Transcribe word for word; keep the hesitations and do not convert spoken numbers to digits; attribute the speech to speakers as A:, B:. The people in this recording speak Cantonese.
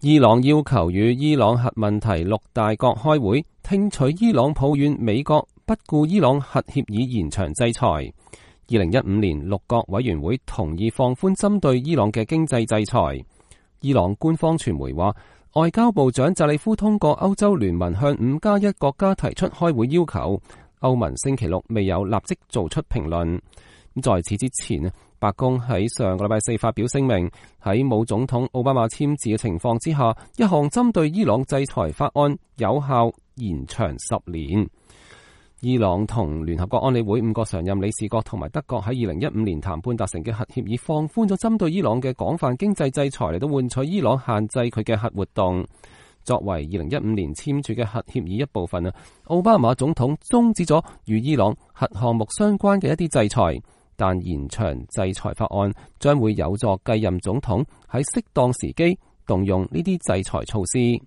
A: 伊朗要求與伊朗核問題六大國開會，聽取伊朗抱怨美國不顧伊朗核協議延長制裁。二零一五年，六國委員會同意放寬針對伊朗嘅經濟制裁。伊朗官方傳媒話，外交部長扎里夫通過歐洲聯盟向五加一國家提出開會要求。歐盟星期六未有立即做出評論。在此之前，白宮喺上個禮拜四發表聲明，喺冇總統奧巴馬簽字嘅情況之下，一項針對伊朗制裁法案有效延長十年。伊朗同聯合國安理會五個常任理事國同埋德國喺二零一五年談判達成嘅核協議，放寬咗針對伊朗嘅廣泛經濟制裁，嚟到換取伊朗限制佢嘅核活動。作為二零一五年簽署嘅核協議一部分啊，奧巴馬總統終止咗與伊朗核項目相關嘅一啲制裁。但延長制裁法案將會有助繼任總統喺適當時機動用呢啲制裁措施。